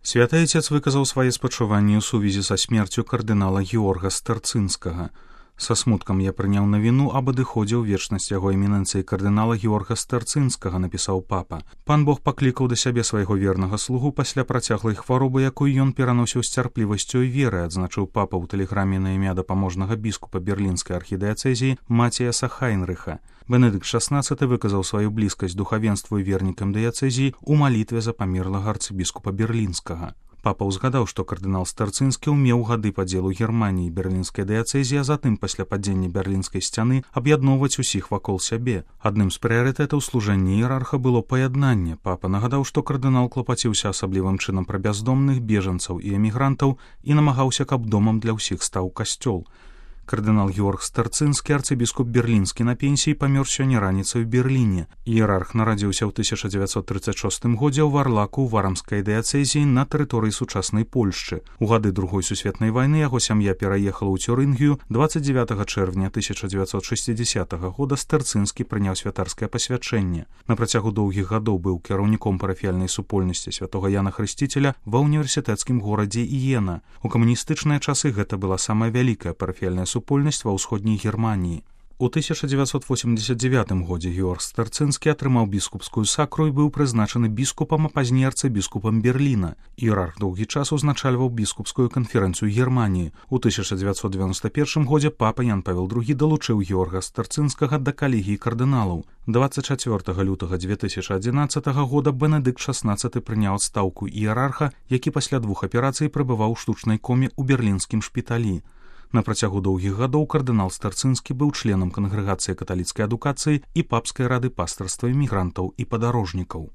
Святы Отец выказаў свае спачуванні ў сувязі са смерцю кардынала Георга Старцынскага. Са смуткам я прыняў навіну аб адыходзе ў вечнасць яго эмінэнцыі кардынала Георга Старцынскага, напісаў папа. Пан Бог паклікаў да сябе свайго вернага слугу пасля працяглай хваробы, якую ён пераносіў з цярплівасцю і верай, адзначыў папа ў тэлеграме на імя дапаможнага біскупа берлінскай архідыяцэзіі Матіяса Хайнрыха. Бенедыкт XVI выказаў сваю блізкасць духавенству і вернікам дыяцэзіі ў малітве за памерлага арцыбіскупа берлінскага. Папа ўзгадаў, што кардынал Старцынскі ўмеў гады падзелу Германіі і берлінскай дыяцэзіі, а затым пасля падзення берлінскай сцяны аб'ядноўваць усіх вакол сябе. Адным з прыярытэтаў служэння іерарха было паяднанне. Папа нагадаў, што кардынал клапаціўся асаблівым чынам пра бяздомных, бежанцаў і эмігрантаў і намагаўся, каб домам для ўсіх стаў касцёл. Кардынал Георг Старцынскі, арцыбіскуп берлінскі на пенсіі, памёр сёння раніцай у Берліне. Іерарх нарадзіўся ў 1936 годзе ў Варлаку ў варамскай дыяцэзіі на тэрыторыі сучаснай Польшчы. У гады Другой сусветнай вайны яго сям'я пераехала ў Цюрынгію. 29 чэрвеня 1960 года Старцынскі прыняў святарскае пасвячэнне. На працягу доўгіх гадоў быў кіраўніком парафіяльнай супольнасці святога Яна Хрысціцеля ва ўніверсітэцкім горадзе Іена. У камуністычныя часы гэта была самая вялікая парафіяльная супольнасць ва ўсходняй Германіі. У 1989 годзе Георг Старцынскі атрымаў біскупскую сакру і быў прызначаны біскупам, а пазней арцыбіскупам Берліна. Іерарх доўгі час узначальваў біскупскую канферэнцыю Германіі. У 1991 годзе папа Ян Павел II далучыў Георга Старцынскага да калегіі кардыналаў. 24 лютага 2011 года Бенедыкт XVI прыняў адстаўку іерарха, які пасля 2 аперацый прабываў у штучнай коме ў берлінскім шпіталі. На працягу доўгіх гадоў кардынал Старцынскі быў членам кангрэгацыі каталіцкай адукацыі і папскай рады пастырства эмігрантаў і падарожнікаў.